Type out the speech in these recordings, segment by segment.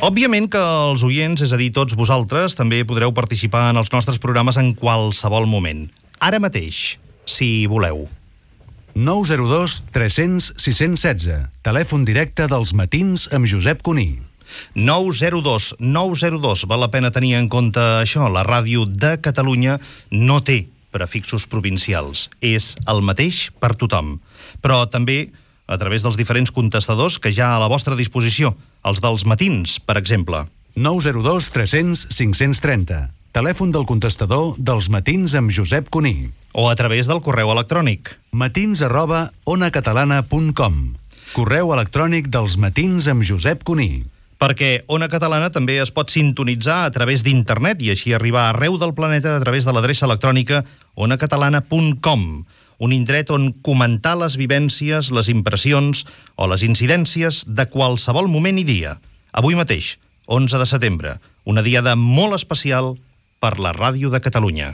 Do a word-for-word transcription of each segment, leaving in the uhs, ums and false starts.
Òbviament que els oients, és a dir, tots vosaltres, també podreu participar en els nostres programes en qualsevol moment. Ara mateix, si voleu. nou zero dos tres cents sis cents setze. Telèfon directe dels matins amb Josep Cuní. nou zero dos nou zero dos. Val la pena tenir en compte això. La ràdio de Catalunya no té prefixos provincials. És el mateix per tothom. Però també a través dels diferents contestadors que hi ha a la vostra disposició. Els dels matins, per exemple. nou zero dos tres cents cinc cents trenta. Telèfon del contestador dels matins amb Josep Cuní. O a través del correu electrònic. matins arroba onacatalana punt com. Correu electrònic dels matins amb Josep Cuní. Perquè Ona Catalana també es pot sintonitzar a través d'internet i així arribar arreu del planeta a través de l'adreça electrònica onacatalana punt com, un indret on comentar les vivències, les impressions o les incidències de qualsevol moment i dia. Avui mateix, onze de setembre, una diada molt especial per la Ràdio de Catalunya.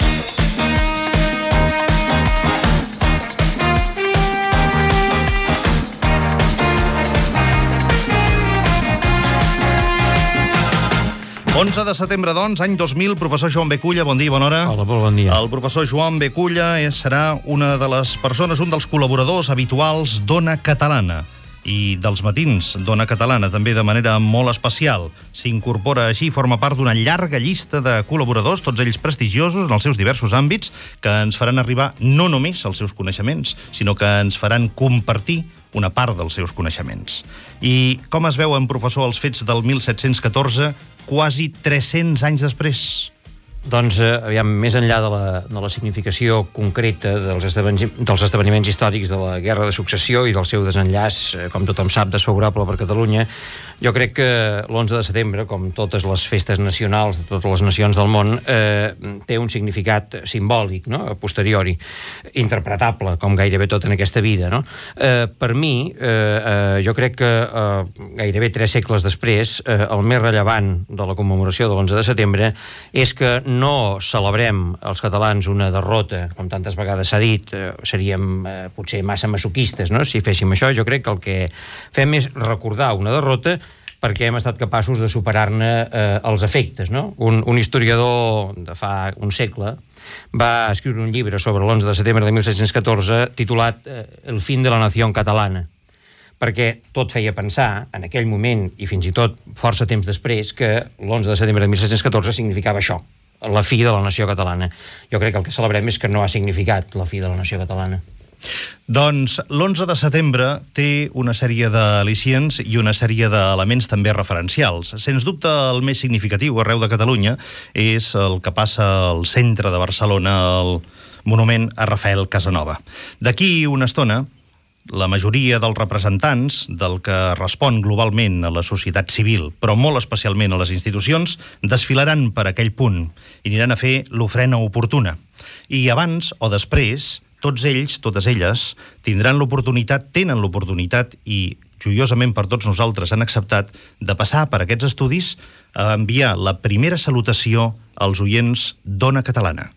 onze de setembre, doncs, any dos mil, professor Joan B. Culla, bon dia, bona hora. Hola, molt bon dia. El professor Joan B. Culla serà una de les persones, un dels col·laboradors habituals d'Ona Catalana i dels matins d'Ona Catalana, també de manera molt especial. S'incorpora així, forma part d'una llarga llista de col·laboradors, tots ells prestigiosos en els seus diversos àmbits, que ens faran arribar no només els seus coneixements, sinó que ens faran compartir una part dels seus coneixements. I com es veuen, professor, els fets del mil set-cents catorze, quasi tres-cents anys després? Doncs, eh, aviam, més enllà de la, de la significació concreta dels esdeveniments, dels esdeveniments històrics de la Guerra de Successió i del seu desenllaç, eh, com tothom sap, desfavorable per Catalunya, jo crec que l'onze de setembre, com totes les festes nacionals de totes les nacions del món, eh, té un significat simbòlic, no?, a posteriori, interpretable, com gairebé tot en aquesta vida, no? Eh, per mi, eh, eh, jo crec que eh, gairebé tres segles després, eh, el més rellevant de la commemoració de l'onze de setembre és que no celebrem els catalans una derrota, com tantes vegades s'ha dit, eh, seríem eh, potser massa masoquistes, no?, si féssim això. Jo crec que el que fem és recordar una derrota perquè hem estat capaços de superar-ne eh, els efectes, no? Un, un historiador de fa un segle va escriure un llibre sobre l'onze de setembre de mil set-cents catorze titulat eh, El fin de la nació catalana, perquè tot feia pensar, en aquell moment, i fins i tot força temps després, que l'onze de setembre de mil set-cents catorze significava això, la fi de la nació catalana. Jo crec que el que celebrem és que no ha significat la fi de la nació catalana. Doncs l'onze de setembre té una sèrie d'al·licients i una sèrie d'elements també referencials. Sens dubte, el més significatiu arreu de Catalunya és el que passa al centre de Barcelona, el monument a Rafael Casanova. D'aquí una estona, la majoria dels representants del que respon globalment a la societat civil, però molt especialment a les institucions, desfilaran per aquell punt i aniran a fer l'ofrena oportuna. I abans o després, tots ells, totes elles, tindran l'oportunitat, tenen l'oportunitat i joiosament per tots nosaltres han acceptat de passar per aquests estudis a enviar la primera salutació als oients d'Ona Catalana.